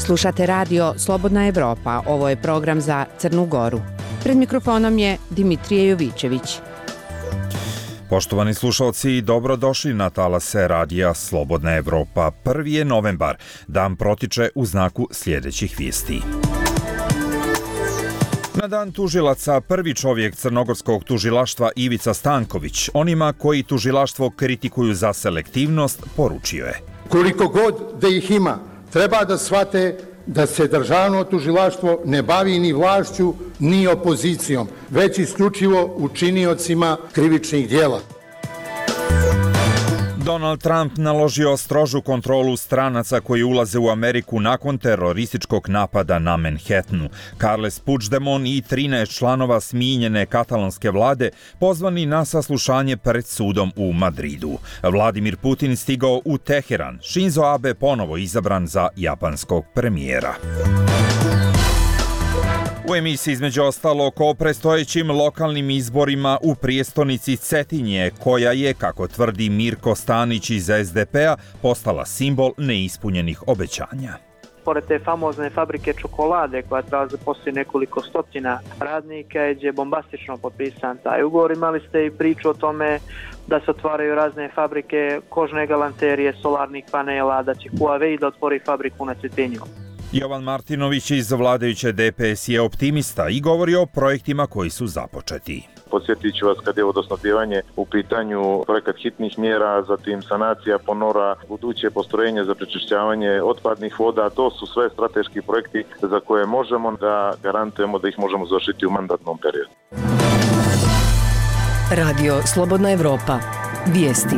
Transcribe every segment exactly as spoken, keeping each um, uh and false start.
Slušate radio Slobodna Evropa, ovo je program za Crnu Goru. Pred mikrofonom je Dimitrije Jovićević. Poštovani slušalci, dobrodošli na talase radija Slobodna Evropa. Prvi je novembar, dan protiče u znaku sljedećih vijesti. Na dan tužilaca prvi čovjek crnogorskog tužilaštva Ivica Stanković, onima koji tužilaštvo kritikuju za selektivnost, poručio je: koliko god da ih ima, treba da shvate da se državno tužilaštvo ne bavi ni vlašću, ni opozicijom, već isključivo učiniocima krivičnih djela. Donald Trump naložio strožu kontrolu stranaca koji ulaze u Ameriku nakon terorističkog napada na Manhattanu. Carles Puigdemont i trinaest članova smijenjene katalonske vlade pozvani na saslušanje pred sudom u Madridu. Vladimir Putin stigao u Teheran. Shinzo Abe ponovo izabran za japanskog premijera. U emisiji između ostalog o predstojećim lokalnim izborima u prijestolnici Cetinje, koja je, kako tvrdi Mirko Stanić iz es de pe a, postala simbol neispunjenih obećanja. Pored te famozne fabrike čokolade koja treba zaposliti nekoliko stotina radnika, je bombastično potpisan taj ugovor. Imali ste i priču o tome da se otvaraju razne fabrike kožne galanterije, solarnih panela, da će Huawei da otvori fabriku na Cetinju. Jovan Martinović iz vladajuće de pe es je optimista i govori o projektima koji su započeti. Podsjetit ću vas kad je vodosnabdijevanje u pitanju, projekat hitnih mjera, zatim sanacija ponora, buduće postrojenje za prečišćavanje otpadnih voda, to su sve strateški projekti za koje možemo da garantujemo da ih možemo završiti u mandatnom periodu. Radio Slobodna Evropa. Vijesti.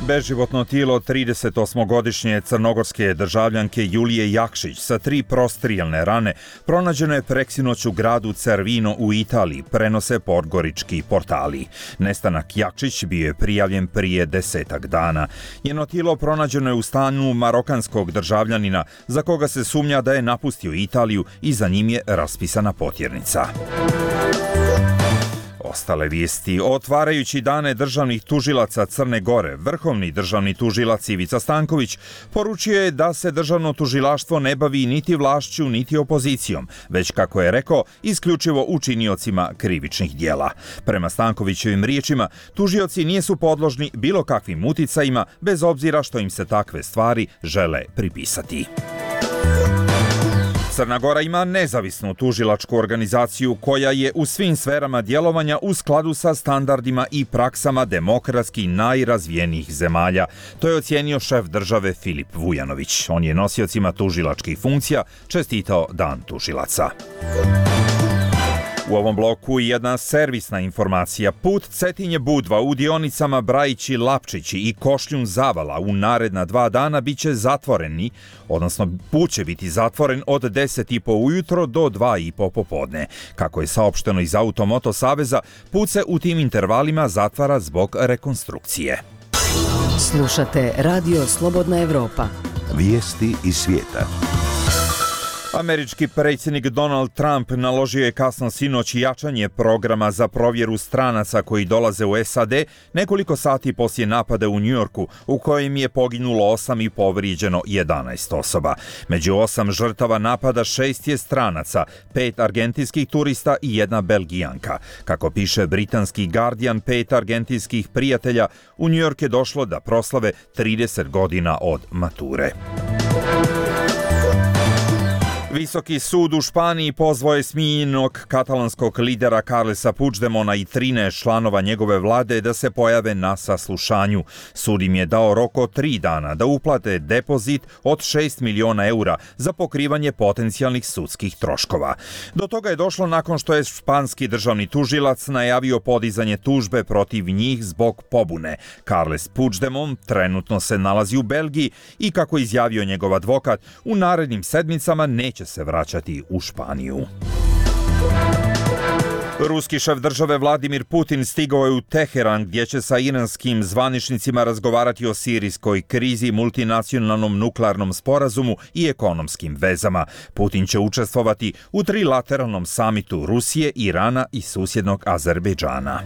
Beživotno tijelo tridesetosmogodišnje crnogorske državljanke Julije Jakšić sa tri prostrijelne rane pronađeno je preksinoć u gradu Cervino u Italiji, prenose podgorički portali. Nestanak Jakšić bio je prijavljen prije desetak dana. Njeno tijelo pronađeno je u stanu marokanskog državljanina za koga se sumnja da je napustio Italiju i za njim je raspisana potjernica. Ostale vijesti. Otvarajući dane državnih tužilaca Crne Gore, vrhovni državni tužilac Ivica Stanković poručio je da se državno tužilaštvo ne bavi niti vlašću, niti opozicijom, već, kako je rekao, isključivo učiniocima krivičnih djela. Prema Stankovićevim riječima, tužioci nisu podložni bilo kakvim uticajima, bez obzira što im se takve stvari žele pripisati. Crna Gora ima nezavisnu tužilačku organizaciju koja je u svim sferama djelovanja u skladu sa standardima i praksama demokratski najrazvijenijih zemalja. To je ocijenio šef države Filip Vujanović. On je nosiocima tužilačkih funkcija čestitao Dan tužilaca. U ovom bloku jedna servisna informacija. Put Cetinje-Budva u dionicama Brajići-Lapčići i Košljun-Zavala u naredna dva dana bit će zatvoreni, odnosno put će biti zatvoren od deset i po ujutro do dva i po popodne. Kako je saopšteno iz Automoto saveza, put se u tim intervalima zatvara zbog rekonstrukcije. Slušate Radio Slobodna Evropa. Vijesti iz svijeta. Američki predsjednik Donald Trump naložio je kasno sinoć jačanje programa za provjeru stranaca koji dolaze u es a de nekoliko sati poslije napada u Njujorku, u kojem je poginulo osam i povrijeđeno jedanaest osoba. Među osam žrtava napada šest je stranaca, pet argentinskih turista i jedna Belgijanka. Kako piše britanski Guardian, pet argentinskih prijatelja u Njujork je došlo da proslave trideset godina od mature. Visoki sud u Španiji pozvao je smijenjenog katalanskog lidera Carlesa Puigdemona i trinaest članova njegove vlade da se pojave na saslušanju. Sud im je dao rok od tri dana da uplate depozit od šest miliona eura za pokrivanje potencijalnih sudskih troškova. Do toga je došlo nakon što je španski državni tužilac najavio podizanje tužbe protiv njih zbog pobune. Carles Puigdemont trenutno se nalazi u Belgiji i, kako izjavio njegov advokat, u narednim sedmicama neće se vraćati u Španiju. Ruski šef države Vladimir Putin stigao je u Teheran, gdje će sa iranskim zvaničnicima razgovarati o sirijskoj krizi, multinacionalnom nuklearnom sporazumu i ekonomskim vezama. Putin će učestvovati u trilateralnom samitu Rusije, Irana i susjednog Azerbejdžana.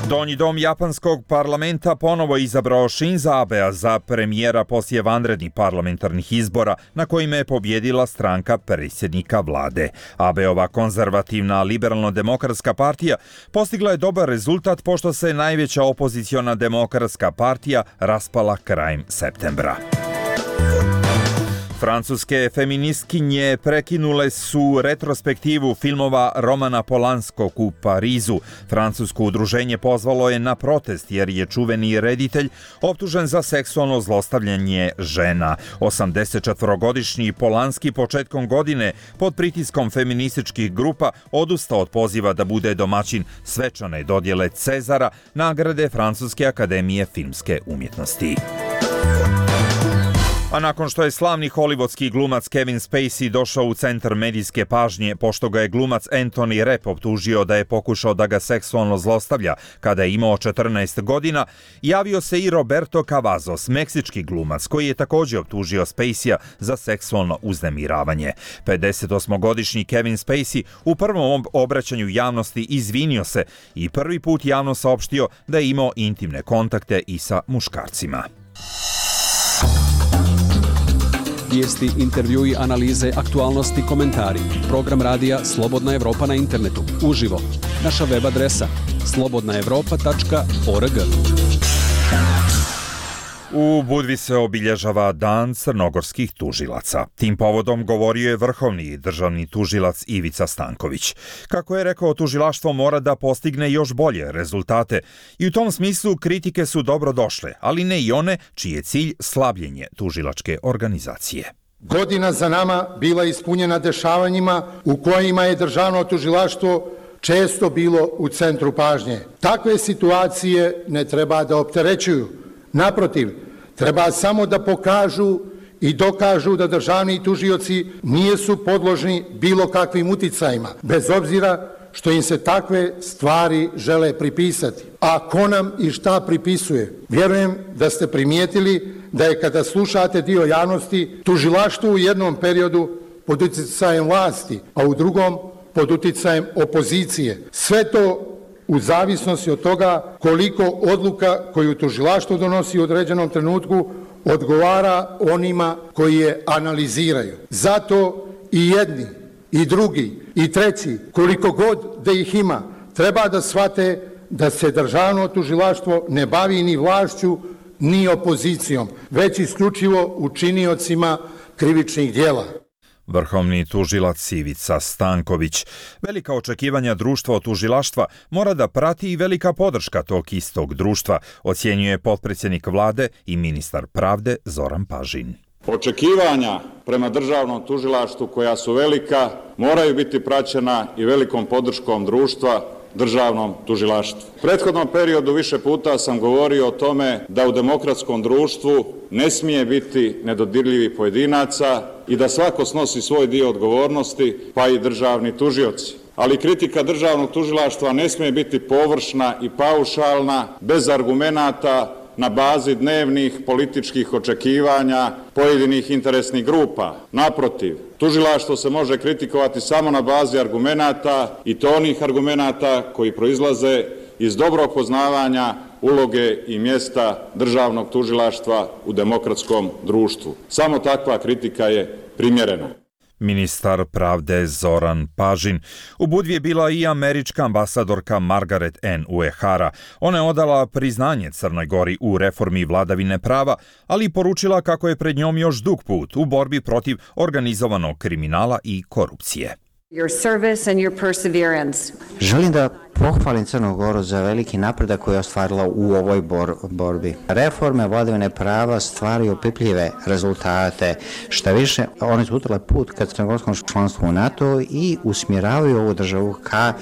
Donji dom japanskog parlamenta ponovo izabrao Shinza Abea za premijera poslije vanrednih parlamentarnih izbora na kojima je pobjedila stranka predsjednika vlade. Abeova konzervativna liberalno-demokratska partija postigla je dobar rezultat pošto se najveća opoziciona demokratska partija raspala krajem septembra. Francuske feministkinje prekinule su retrospektivu filmova Romana Polanskog u Parizu. Francusko udruženje pozvalo je na protest jer je čuveni reditelj optužen za seksualno zlostavljanje žena. osamdesetčetvorogodišnji Polanski početkom godine pod pritiskom feminističkih grupa odustao od poziva da bude domaćin svečane dodjele Cezara, nagrade Francuske akademije filmske umjetnosti. A nakon što je slavni hollywoodski glumac Kevin Spacey došao u centar medijske pažnje pošto ga je glumac Anthony Rapp optužio da je pokušao da ga seksualno zlostavlja kada je imao četrnaest godina, javio se i Roberto Cavazos, meksički glumac koji je također optužio Spacey-a za seksualno uznemiravanje. pedesetosmogodišnji Kevin Spacey u prvom obraćanju javnosti izvinio se i prvi put javno saopštio da je imao intimne kontakte i sa muškarcima. Vijesti, intervjui, analize, aktualnosti, komentari. Program radija Slobodna Evropa na internetu. Uživo. Naša web adresa slobodna evropa tačka org. U Budvi se obilježava Dan crnogorskih tužilaca. Tim povodom govorio je vrhovni državni tužilac Ivica Stanković. Kako je rekao, tužilaštvo mora da postigne još bolje rezultate i u tom smislu kritike su dobro došle, ali ne i one čiji je cilj slabljenje tužilačke organizacije. Godina za nama bila ispunjena dešavanjima u kojima je državno tužilaštvo često bilo u centru pažnje. Takve situacije ne treba da opterećuju. Naprotiv, treba samo da pokažu i dokažu da državni tužioci nisu podložni bilo kakvim uticajima, bez obzira što im se takve stvari žele pripisati. A ko nam i šta pripisuje? Vjerujem da ste primijetili da je kada slušate dio javnosti tužilaštvo u jednom periodu pod uticajem vlasti, a u drugom pod uticajem opozicije. Sve to u zavisnosti od toga koliko odluka koju tužilaštvo donosi u određenom trenutku odgovara onima koji je analiziraju. Zato i jedni, i drugi, i treći, koliko god da ih ima, treba da shvate da se državno tužilaštvo ne bavi ni vlašću, ni opozicijom, već isključivo učiniocima krivičnih djela. Vrhovni tužilac Ivica Stanković. Velika očekivanja društva od tužilaštva mora da prati i velika podrška tog istog društva, ocjenjuje potpredsjednik vlade i ministar pravde Zoran Pažin. Očekivanja prema državnom tužilaštvu koja su velika moraju biti praćena i velikom podrškom društva državnom tužilaštvu. U prethodnom periodu više puta sam govorio o tome da u demokratskom društvu ne smije biti nedodirljivih pojedinaca i da svako snosi svoj dio odgovornosti, pa i državni tužioci. Ali kritika državnog tužilaštva ne smije biti površna i paušalna, bez argumenata, na bazi dnevnih političkih očekivanja pojedinih interesnih grupa. Naprotiv, tužilaštvo se može kritikovati samo na bazi argumenata i to onih argumenata koji proizlaze iz dobrog poznavanja uloge i mjesta državnog tužilaštva u demokratskom društvu. Samo takva kritika je primjerena. Ministar pravde Zoran Pažin. U Budvi je bila i američka ambasadorka Margaret Ann Uehara. Ona je odala priznanje Crnoj Gori u reformi vladavine prava, ali i poručila kako je pred njom još dug put u borbi protiv organizovanog kriminala i korupcije. Your service and your perseverance. Želim da pohvalim Crnu Goru za veliki napredak koji je ostvarila u ovoj bor- borbi. Reforme vladavine prava stvaraju opipljive rezultate. Šta više, one su utile put ka crnogorskom članstvu u NATO i usmjeravaju ovu državu ka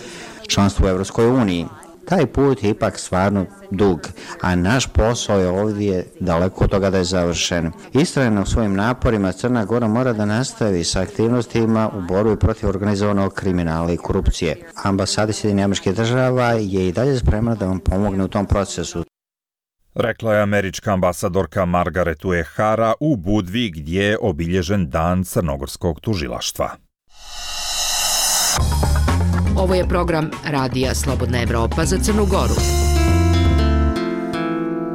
članstvu u Evropskoj uniji. Taj put je ipak stvarno dug, a naš posao je ovdje daleko od toga da je završen. Istrajno u svojim naporima Crna Gora mora da nastavi sa aktivnostima u borbi protiv organizovanog kriminala i korupcije. Ambasada Sjedinjenih Američkih Država je i dalje spremna da vam pomogne u tom procesu. Rekla je američka ambasadorka Margaret Uehara u Budvi gdje je obilježen Dan crnogorskog tužilaštva. Ovo je program Radija Slobodna Evropa za Crnu Goru.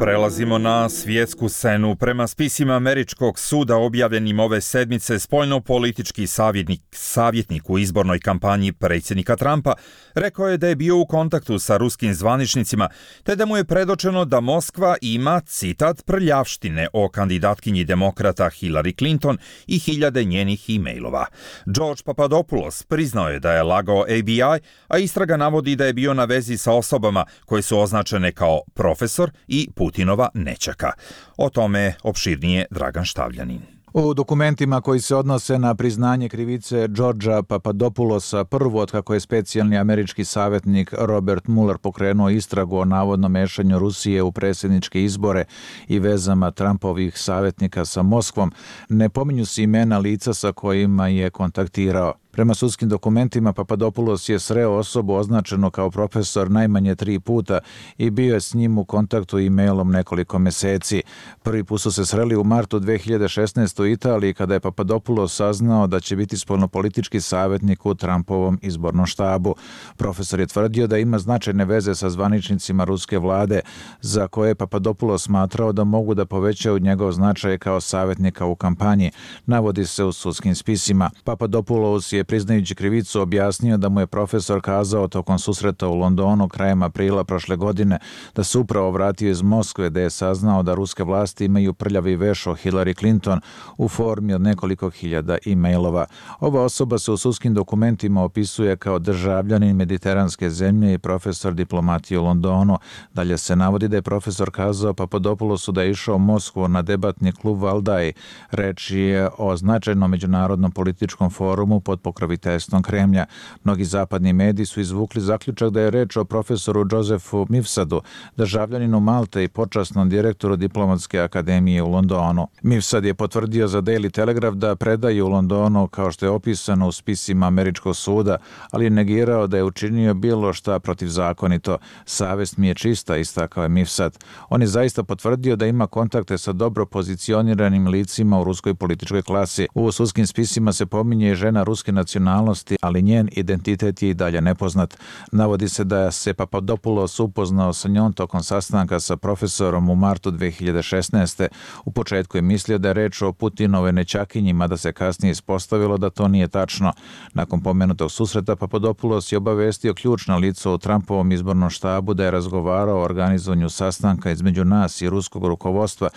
Prelazimo na svjetsku scenu. Prema spisima američkog suda objavljenim ove sedmice, spoljno-politički savjetnik, savjetnik u izbornoj kampanji predsjednika Trumpa rekao je da je bio u kontaktu sa ruskim zvaničnicima, te da mu je predočeno da Moskva ima, citat, prljavštine o kandidatkinji demokrata Hillary Clinton i hiljade njenih e-mailova. George Papadopoulos priznao je da je lagao A B I, a istraga navodi da je bio na vezi sa osobama koje su označene kao profesor i Putinova nećaka. O tome opširnije Dragan Štavljanin. U dokumentima koji se odnose na priznanje krivice Georgea Papadopoulosa, prvo od kako je specijalni američki savjetnik Robert Mueller pokrenuo istragu o navodnom mešanju Rusije u predsjedničke izbore i vezama Trumpovih savjetnika sa Moskvom, ne pominju se imena lica sa kojima je kontaktirao. Prema sudskim dokumentima, Papadopoulos je sreo osobu označenu kao profesor najmanje tri puta i bio je s njim u kontaktu e-mailom nekoliko meseci. Prvi put su se sreli u martu dve hiljade šesnaeste. u Italiji, kada je Papadopoulos saznao da će biti spoljnopolitički savjetnik u Trumpovom izbornom štabu. Profesor je tvrdio da ima značajne veze sa zvaničnicima ruske vlade, za koje je Papadopoulos smatrao da mogu da povećaju njegov značaj kao savjetnika u kampanji, navodi se u sudskim spisima. Papadopoulos je priznajući krivicu objasnio da mu je profesor kazao tokom susreta u Londonu krajem aprila prošle godine da se upravo vratio iz Moskve, da je saznao da ruske vlasti imaju prljavi veš o Hillary Clinton u formi od nekoliko hiljada e-mailova. Ova osoba se u sudskim dokumentima opisuje kao državljanin mediteranske zemlje i profesor diplomatije u Londonu. Dalje se navodi da je profesor kazao Papadopoulosu da je išao u Moskvu na debatni klub Valdaj. Reč je o značajnom međunarodnom političkom forumu pod pokroviteljstvom Kremlja. Mnogi zapadni mediji su izvukli zaključak da je reč o profesoru Josefu Mifsadu, državljaninu Malte i počasnom direktoru diplomatske akademije u Londonu. Mifsad je potvrdio za Daily Telegraph da predaje u Londonu kao što je opisano u spisima američkog suda, ali je negirao da je učinio bilo šta protivzakonito. Savest mi je čista, istakao je Mifsad. On je zaista potvrdio da ima kontakte sa dobro pozicioniranim licima u ruskoj političkoj klasi. U sudskim spisima se pominje i žena ruske nacionalnosti, ali njen identitet je i dalje nepoznat. Navodi se da se Papadopoulos upoznao sa njom tokom sastanka sa profesorom u martu dve hiljade šesnaeste. U početku je mislio da je reč o Putinove nećakinji, mada se kasnije ispostavilo da to nije tačno. Nakon pomenutog susreta, Papadopoulos je obavestio ključno lice u Trumpovom izbornom štabu da je razgovarao o organizovanju sastanka između nas i ruskog rukovodstva,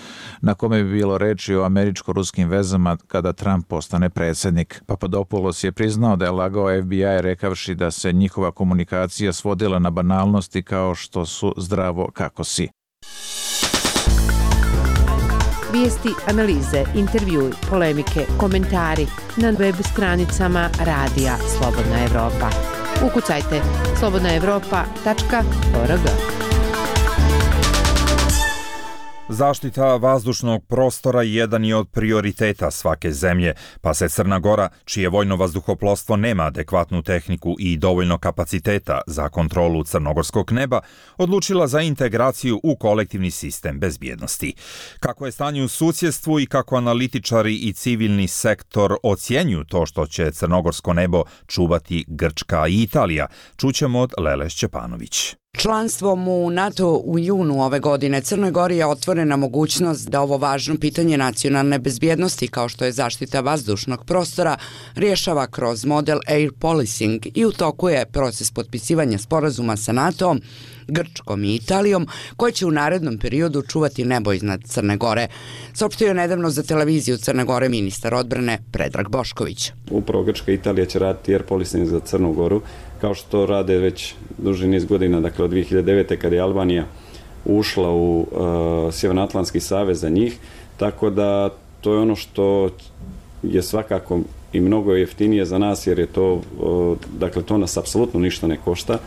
na kome bi bilo reči o američko-ruskim vezama kada Trump postane predsjednik. Papadopoulos je priznao da je lagao F B I rekavši da se njihova komunikacija svodila na banalnosti kao što su zdravo kako si. Vijesti, analize, intervjui, polemike, komentari na web stranicama Radija Slobodna Evropa. Ukucajte slobodna evropa tačka org. Zaštita vazdušnog prostora jedan je od prioriteta svake zemlje, pa se Crna Gora, čije vojno vazduhoplovstvo nema adekvatnu tehniku i dovoljno kapaciteta za kontrolu crnogorskog neba, odlučila za integraciju u kolektivni sistem bezbjednosti. Kako je stanje u susjedstvu i kako analitičari i civilni sektor ocjenjuju to što će crnogorsko nebo čuvati Grčka i Italija, čućemo od Lele Šćepanović. Članstvom u NATO u junu ove godine Crnoj Gori je otvorena mogućnost da ovo važno pitanje nacionalne bezbjednosti, kao što je zaštita vazdušnog prostora, rješava kroz model air policing i u toku je proces potpisivanja sporazuma sa NATO-om, Grčkom i Italijom, koje će u narednom periodu čuvati nebo iznad Crne Gore. Saopštio je nedavno za televiziju Crne Gore ministar odbrane Predrag Bošković. Upravo Grčka i Italija će raditi air policing za Crnu Goru, kao što rade već duži niz godina, dakle od dvije hiljade devete. kada je Albanija ušla u uh, Sjevernoatlantski savez za njih, tako da to je ono što je svakako i mnogo jeftinije za nas, jer je to, uh, dakle to nas apsolutno ništa ne košta.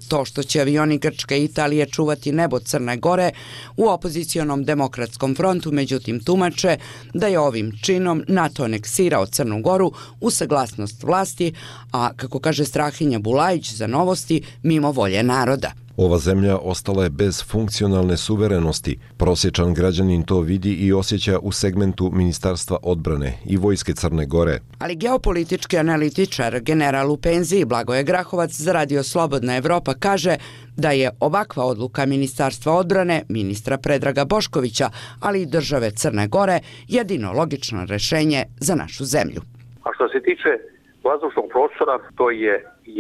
To što će avioni Grčke i Italije čuvati nebo Crne Gore u opozicionom demokratskom frontu, međutim tumače da je ovim činom NATO aneksirao Crnu Goru u saglasnost vlasti, a kako kaže Strahinja Bulajić za Novosti, mimo volje naroda. Ova zemlja ostala je bez funkcionalne suverenosti. Prosječan građanin to vidi i osjeća u segmentu Ministarstva odbrane i Vojske Crne Gore. Ali geopolitički analitičar, general u penziji Blagoje Grahovac za Radio Slobodna Evropa kaže da je ovakva odluka Ministarstva odbrane, ministra Predraga Boškovića, ali i države Crne Gore jedino logično rešenje za našu zemlju. A što se tiče vazdušnog prostora, to je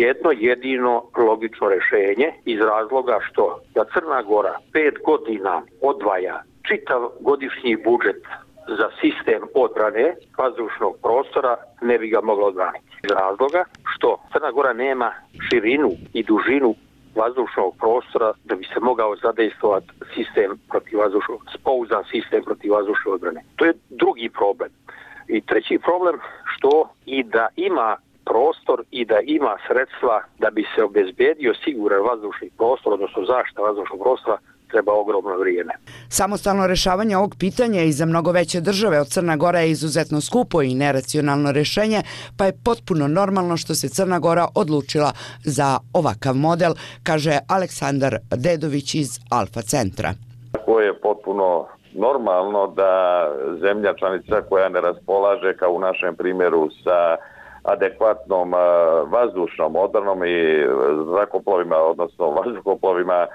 jedno jedino logično rešenje iz razloga što da Crna Gora pet godina odvaja čitav godišnji budžet za sistem odbrane vazdušnog prostora, ne bi ga mogla odbraniti. Iz razloga što Crna Gora nema širinu i dužinu vazdušnog prostora da bi se mogao zadejstvovati sistem protivvazdušnog, spouzdan sistem protivvazdušne odbrane. To je drugi problem. I treći problem što i da ima prostor i da ima sredstva da bi se obezbedio siguran vazdušni prostor, odnosno zaštita vazdušnog prostora, treba ogromno vrijeme. Samostalno rešavanje ovog pitanja i za mnogo veće države od Crna Gora je izuzetno skupo i neracionalno rešenje, pa je potpuno normalno što se Crna Gora odlučila za ovakav model, kaže Aleksandar Dedović iz Alfa centra. Tako je potpuno normalno da zemlja članica koja ne raspolaže, kao u našem primjeru, sa adekvatnom vazdušnom odbranom i zrakoplovima, odnosno vazduhoplovima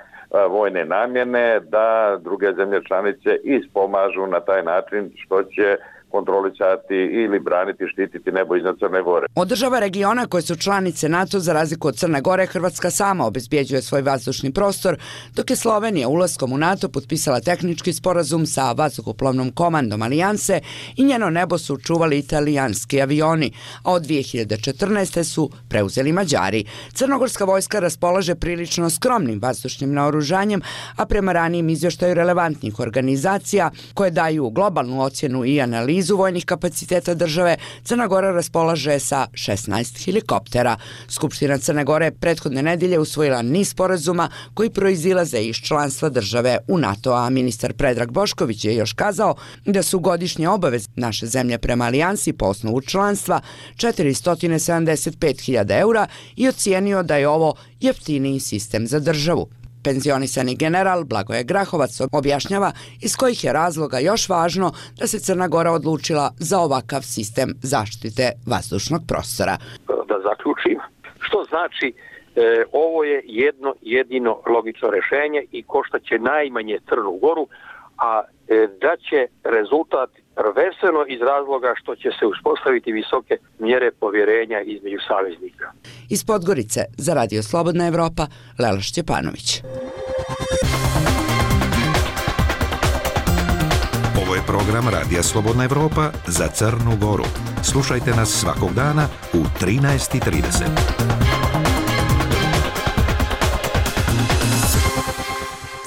vojne namjene, da druge zemlje članice ispomažu na taj način što će kontrolisati ili braniti, štititi nebo iznad Crne Gore. Od država regiona koje su članice NATO, za razliku od Crne Gore, Hrvatska sama obezbjeđuje svoj vazdušni prostor, dok je Slovenija ulaskom u NATO potpisala tehnički sporazum sa vazduhoplovnom komandom Alijanse i njeno nebo su čuvali italijanski avioni, a od dvije hiljade četrnaeste. su preuzeli Mađari. Crnogorska vojska raspolaže prilično skromnim vazdušnim naoružanjem, a prema ranijim izvještaju relevantnih organizacija koje daju globalnu ocjenu i analizu vojnih kapaciteta države, Crna Gora raspolaže sa šesnaest helikoptera. Skupština Crne Gore prethodne nedelje usvojila niz sporazuma koji proizilaze iz članstva države u NATO, a ministar Predrag Bošković je još kazao da su godišnje obaveze naše zemlje prema alijansi po osnovu članstva četiristo sedamdeset pet hiljada eura i ocijenio da je ovo jeftiniji sistem za državu. Penzionisani general Blagoje Grahovac objašnjava iz kojih je razloga još važno da se Crna Gora odlučila za ovakav sistem zaštite vazdušnog prostora. Da zaključim, što znači e, ovo je jedno jedino logično rešenje i koštaće najmanje Crnu Goru, a e, da će rezultat prvenstveno iz razloga što će se uspostaviti visoke mjere povjerenja između saveznika. Iz Podgorice za Radio Slobodna Evropa, Lela Šćepanović. Ovo je program Radija Slobodna Evropa za Crnu Goru. Slušajte nas svakog dana u trinaest i trideset.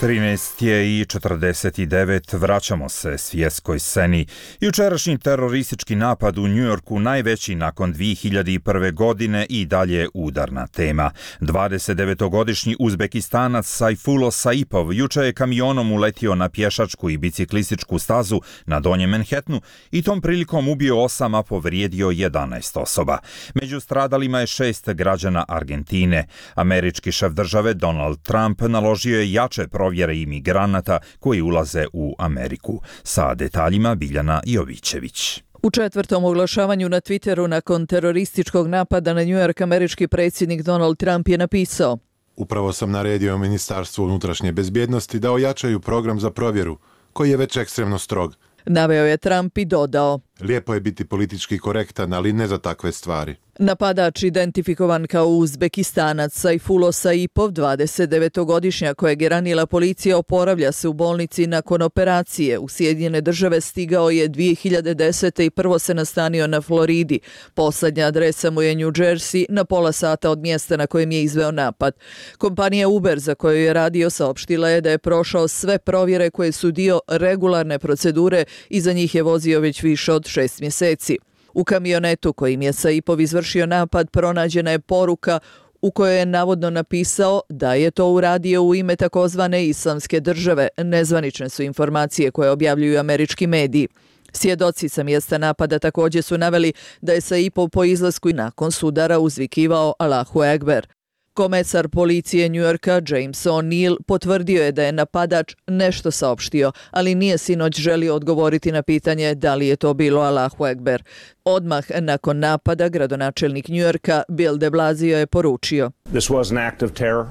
trinaest je i četrdeset devet, vraćamo se svjetskoj sceni. Jučerašnji teroristički napad u Njujorku, najveći nakon dvije hiljade prve. godine i dalje udarna tema. dvadesetdevetogodišnji Uzbekistanac Saifullo Saipov juče je kamionom uletio na pješačku i biciklističku stazu na Donjem Manhattanu i tom prilikom ubio osam, a povrijedio jedanaest osoba. Među stradalima je šest građana Argentine. Američki šef države Donald Trump naložio je jače provjere imigranata koji ulaze u Ameriku. Sa detaljima Biljana Jovićević. U četvrtom oglašavanju na Twitteru nakon terorističkog napada na New York američki predsjednik Donald Trump je napisao: Upravo sam naredio Ministarstvu unutrašnje bezbjednosti da ojačaju program za provjeru, koji je već ekstremno strog. Naveo je Trump i dodao: Lijepo je biti politički korektan, ali ne za takve stvari. Napadač, identifikovan kao Uzbekistanac Saifullo Saipov, dvadesetdevetogodišnjak kojeg je ranila policija, oporavlja se u bolnici nakon operacije. U Sjedinjene države stigao je dvije hiljade desete. i prvo se nastanio na Floridi. Poslednja adresa mu je New Jersey, na pola sata od mjesta na kojem je izveo napad. Kompanija Uber, za koju je radio, saopštila je da je prošao sve provjere koje su dio regularne procedure i za njih je vozio već više od šest mjeseci. U kamionetu kojim je Saipov izvršio napad pronađena je poruka u kojoj je navodno napisao da je to uradio u ime takozvane Islamske države. Nezvanične su informacije koje objavljuju američki mediji. Svjedoci sa mjesta napada također su naveli da je Saipov po izlasku i nakon sudara uzvikivao Allahu Ekber. Komesar policije Njujorka James O'Neill potvrdio je da je napadač nešto saopštio, ali nije sinoć želio odgovoriti na pitanje da li je to bilo Allahu Ekber. Odmah nakon napada gradonačelnik Njujorka Bill de Blasio je poručio: This was an act of terror.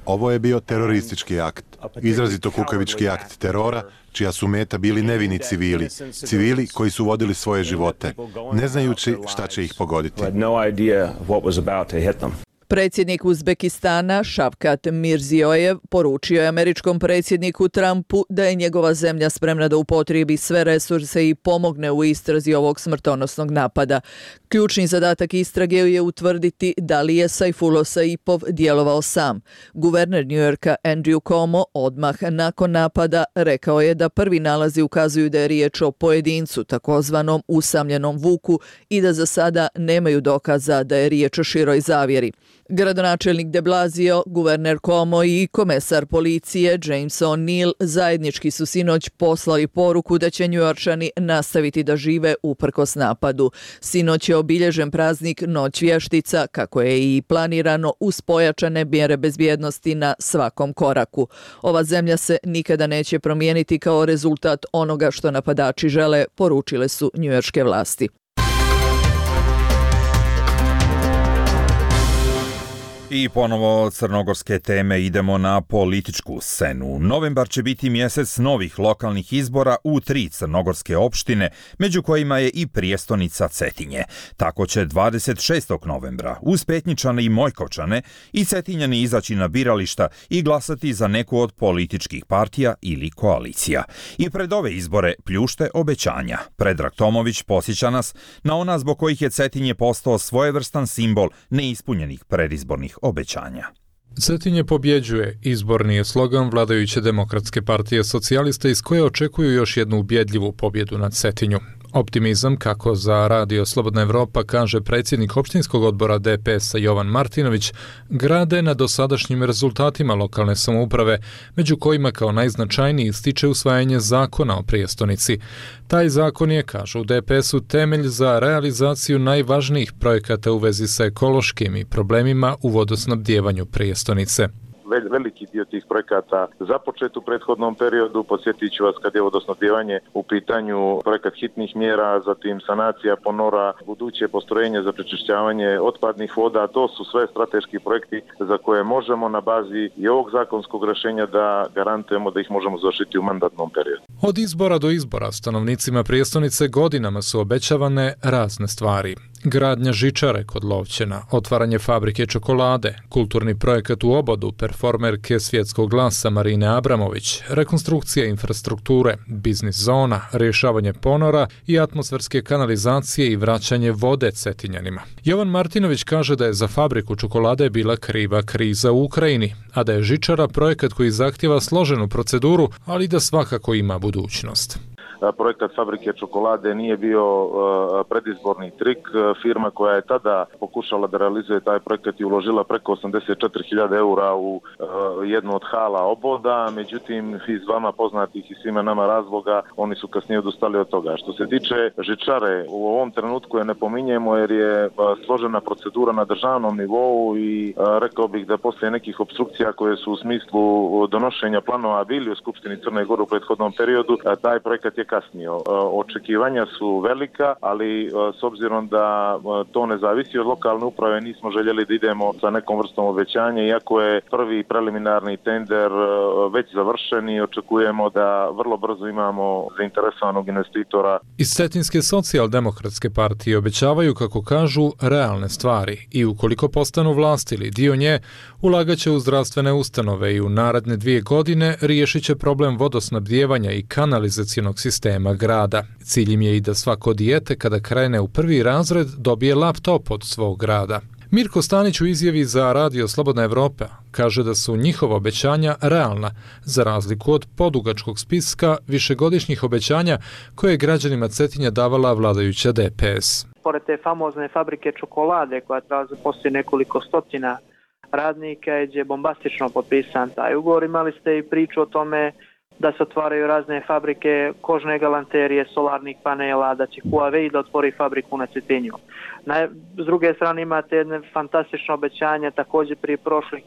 Ovo je bio teroristički akt, izrazito kukavički akt terora, čija su meta bili nevini civili, civili koji su vodili svoje živote, ne znajući šta će ih pogoditi. Predsjednik Uzbekistana Šavkat Mirzijojev poručio je američkom predsjedniku Trumpu da je njegova zemlja spremna da upotrijebi sve resurse i pomogne u istrazi ovog smrtonosnog napada. Ključni zadatak istrage je utvrditi da li je Saifullah Saipov djelovao sam. Guverner Njujorka Andrew Cuomo odmah nakon napada rekao je da prvi nalazi ukazuju da je riječ o pojedincu, takozvanom usamljenom vuku, i da za sada nemaju dokaza da je riječ o široj zavjeri. Gradonačelnik de Blasio, guverner Cuomo i komesar policije James O'Neill zajednički su sinoć poslali poruku da će Njujorčani nastaviti da žive uprkos napadu. Sinoć je obilježen praznik Noć vještica, kako je i planirano, uz pojačane mjere bezbjednosti na svakom koraku. Ova zemlja se nikada neće promijeniti kao rezultat onoga što napadači žele, poručile su njujorške vlasti. I ponovo crnogorske teme, idemo na političku scenu. Novembar će biti mjesec novih lokalnih izbora u tri crnogorske opštine, među kojima je i prijestonica Cetinje. Tako će dvadeset šestog novembra uz Petnjičane i Mojkovčane i Cetinjani izaći na birališta i glasati za neku od političkih partija ili koalicija. I pred ove izbore pljušte obećanja. Predrag Tomović posjeća nas na ona zbog kojih je Cetinje postao svojevrstan simbol neispunjenih predizbornih obećanja. Cetinje pobjeđuje, izborni je slogan vladajuće Demokratske partije socijalista iz koje očekuju još jednu ubjedljivu pobjedu nad Cetinju. Optimizam, kako za Radio Slobodna Evropa kaže predsjednik opštinskog odbora D P S-a Jovan Martinović, grade na dosadašnjim rezultatima lokalne samouprave, među kojima kao najznačajniji ističe usvajanje zakona o prijestonici. Taj zakon je, kažu u D P S-u, temelj za realizaciju najvažnijih projekata u vezi sa ekološkim i problemima u vodosnabdjevanju prijestonice. Veliki dio tih projekata započet u prethodnom periodu. Podsjetit ću vas kad je vodosnabdjevanje u pitanju, projekat hitnih mjera, zatim sanacija ponora, buduće postrojenje za prečišćavanje otpadnih voda. To su sve strateški projekti za koje možemo na bazi i ovog zakonskog rješenja da garantujemo da ih možemo završiti u mandatnom periodu. Od izbora do izbora stanovnicima prijestonice godinama su obećavane razne stvari. Gradnja žičare kod Lovćena, otvaranje fabrike čokolade, kulturni projekat u Obodu, performerke svjetskog glasa Marine Abramović, rekonstrukcija infrastrukture, biznis zona, rješavanje ponora i atmosferske kanalizacije i vraćanje vode Cetinjanima. Jovan Martinović kaže da je za fabriku čokolade bila kriva kriza u Ukrajini, a da je žičara projekat koji zahtjeva složenu proceduru, ali da svakako ima budućnost. Projekat fabrike čokolade nije bio predizborni trik. Firma koja je tada pokušala da realizuje taj projekat i uložila preko osamdeset četiri hiljade eura u jednu od hala Oboda, međutim iz vama poznatih i svima nama razloga oni su kasnije odustali od toga. Što se tiče žičare, u ovom trenutku je ne pominjemo jer je složena procedura na državnom nivou i rekao bih da poslije nekih obstrukcija koje su u smislu donošenja planova bili u Skupštini Crne Gore u prethodnom periodu, taj projekat je kasnio. Očekivanja su velika, ali s obzirom da to ne zavisi od lokalne uprave, nismo željeli da idemo sa nekom vrstom obećanja, iako je prvi preliminarni tender već završen i očekujemo da vrlo brzo imamo zainteresovanog investitora. Iz Cetinske socijaldemokratske partije obećavaju, kako kažu, realne stvari i ukoliko postanu vlast ili dio nje, ulagaće u zdravstvene ustanove i u naredne dvije godine riješit će problem vodosnabdjevanja i kanalizacionog sistema grada. Cilj im je i da svako dijete kada krene u prvi razred dobije laptop od svog grada. Mirko Stanić u izjavi za Radio Slobodna Evropa kaže da su njihova obećanja realna, za razliku od podugačkog spiska višegodišnjih obećanja koje je građanima Cetinja davala vladajuća D P S. Pored te famozne fabrike čokolade koja treba zaposliti nekoliko stotina radnika, gdje je bombastično potpisan taj ugovor, imali ste i priču o tome da se otvaraju razne fabrike kožne galanterije, solarnih panela, da će Huawei da otvori fabriku na Cetinju. Na, s druge strane imate jedne fantastično obećanje također prije, prošlih,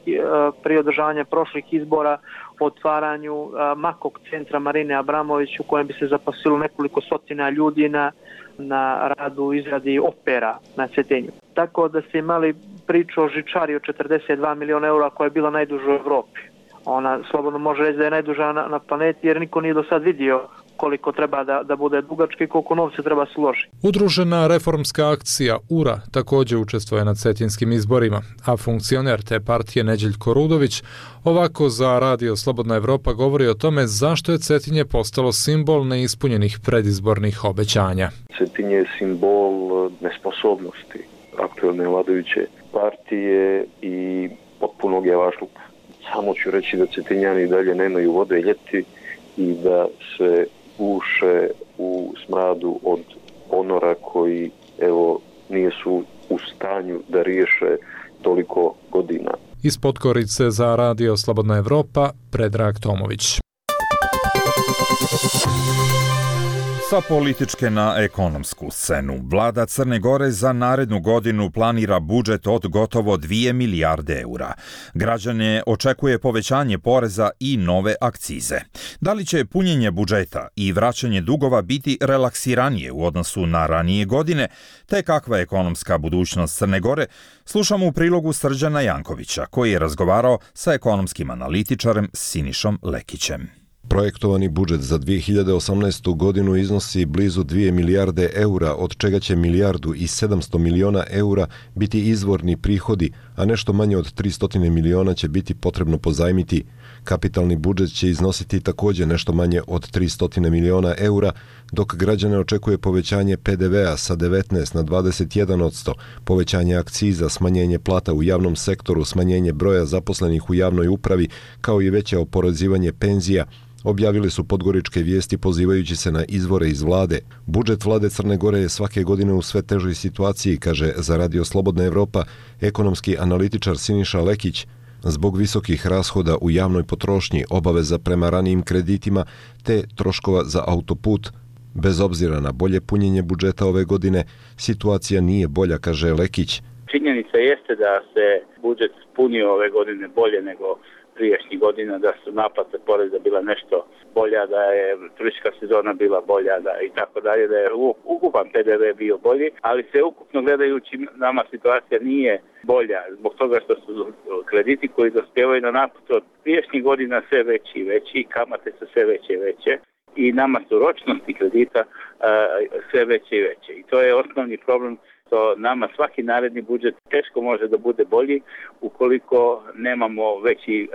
prije održavanja prošlih izbora o otvaranju Makog centra Marine Abramović u kojem bi se zaposlilo nekoliko stotina ljudi na, na radu u izradi opera na Cetinju. Tako da ste imali priču o žičari od četrdeset dva miliona eura koja je bila najduža u Evropi. Ona slobodno može reći da je najduža na, na planeti jer niko nije do sad vidio koliko treba da, da bude dugačka i koliko novca treba se uložiti. Udružena reformska akcija U R A također učestvuje na cetinskim izborima, a funkcioner te partije Neđeljko Rudović ovako za Radio Slobodna Evropa govori o tome zašto je Cetinje postalo simbol neispunjenih predizbornih obećanja. Cetinje je simbol nesposobnosti aktualne vladajuće partije i potpunog javašluka. Samo ću reći da Cetinjani i dalje nemaju vode ljeti i da se uše u smradu od ponora koji evo nisu u stanju da riješe toliko godina. Iz Podgorice za Radio Slobodna Evropa, Predrag Tomović. Sa političke na ekonomsku scenu. Vlada Crne Gore za narednu godinu planira budžet od gotovo dvije milijarde eura. Građane očekuje povećanje poreza i nove akcize. Da li će punjenje budžeta i vraćanje dugova biti relaksiranije u odnosu na ranije godine, te kakva je ekonomska budućnost Crne Gore, slušamo u prilogu Srđana Jankovića, koji je razgovarao sa ekonomskim analitičarem Sinišom Lekićem. Projektovani budžet za dvije hiljade osamnaestu godinu iznosi blizu dvije milijarde eura, od čega će milijardu i sedamsto miliona eura biti izvorni prihodi, a nešto manje od tristo miliona će biti potrebno pozajmiti. Kapitalni budžet će iznositi također nešto manje od tristo miliona eura, dok građane očekuje povećanje P D V-a sa devetnaest na dvadeset jedan posto, povećanje akciza, smanjenje plata u javnom sektoru, smanjenje broja zaposlenih u javnoj upravi, kao i veće oporezivanje penzija, objavili su Podgoričke vijesti pozivajući se na izvore iz vlade. Budžet vlade Crne Gore je svake godine u sve težoj situaciji, kaže za Radio Slobodna Evropa ekonomski analitičar Siniša Lekić, zbog visokih rashoda u javnoj potrošnji, obaveza prema ranijim kreditima te troškova za autoput. Bez obzira na bolje punjenje budžeta ove godine, situacija nije bolja, kaže Lekić. Činjenica jeste da se budžet punio ove godine bolje nego prijašnjih godina, da su naplate poreza bila nešto bolja, da je turistička sezona bila bolja da i tako dalje, da je ukupan P D V bio bolji, ali se ukupno gledajući nama situacija nije bolja zbog toga što su krediti koji dospijevaju na naplatu od prijašnjih godina sve veći i veći, kamate su sve veće i veće i nama su ročnosti kredita uh, sve veće i veće. I to je osnovni problem. To nama svaki naredni budžet teško može da bude bolji ukoliko nemamo veći e,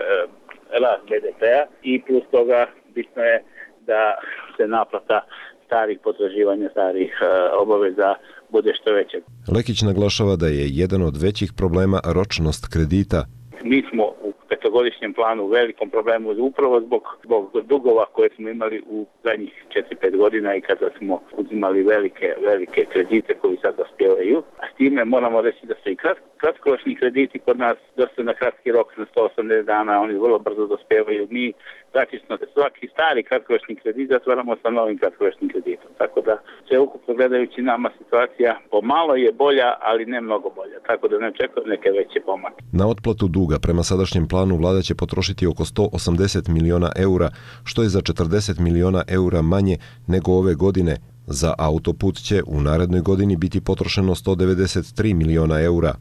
rast B D P-a i plus toga bitno je da se naplata starih potraživanja, starih e, obaveza bude što veća. Lekić naglašava da je jedan od većih problema ročnost kredita. Mi smo u petogodišnjem planu u velikom problemu upravo zbog, zbog dugova koje smo imali u zadnjih četiri pet godina i kada smo uzimali velike, velike kredite koji sad dospijevaju. A s time moramo reći da su i krat, kratkoročni krediti kod nas dosta na kratki rok na sto osamdeset dana, oni vrlo brzo dospijevaju. Mi praktično svaki stari kratkoročni kredit zatvaramo sa novim kratkoročnim kreditom. Tako da sve ukupno gledajući nama situacija pomalo je bolja, ali ne mnogo bolja. Tako da ne očekujem neke veće pomake. Na otplatu duga prema sadašnjem planu vlada će potrošiti oko sto osamdeset miliona eura, što je za četrdeset miliona eura manje nego ove godine. Za autoput će u narednoj godini biti potrošeno sto devedeset tri miliona eura.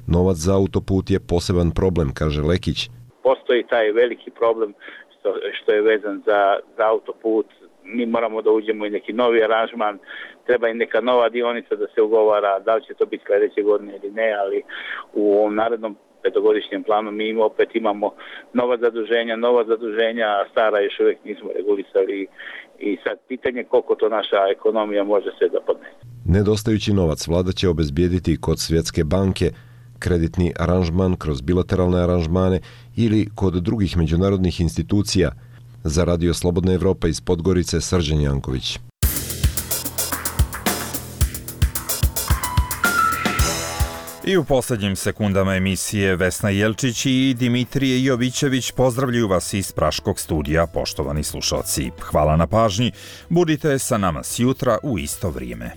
Novac za autoput je poseban problem, kaže Lekić. Postoji taj veliki problem što, što je vezan za, za autoput. Mi moramo da uđemo i neki novi aranžman, treba i neka nova dionica da se ugovara, da li će to biti sljedeće godine ili ne, ali u ovom narednom petogodišnjem planu mi opet imamo nova zaduženja, nova zaduženja, a stara još uvijek nismo regulisali i sad pitanje koliko to naša ekonomija može sve da podnese. Nedostajući novac vlada će obezbijediti kod Svjetske banke, kreditni aranžman kroz bilateralne aranžmane ili kod drugih međunarodnih institucija. Za Radio Slobodna Evropa iz Podgorice, Srđan Janković. I u posljednjim sekundama emisije Vesna Jelčić i Dimitrije Jovićević pozdravljaju vas iz Praškog studija, poštovani slušalci. Hvala na pažnji, budite sa nama sjutra u isto vrijeme.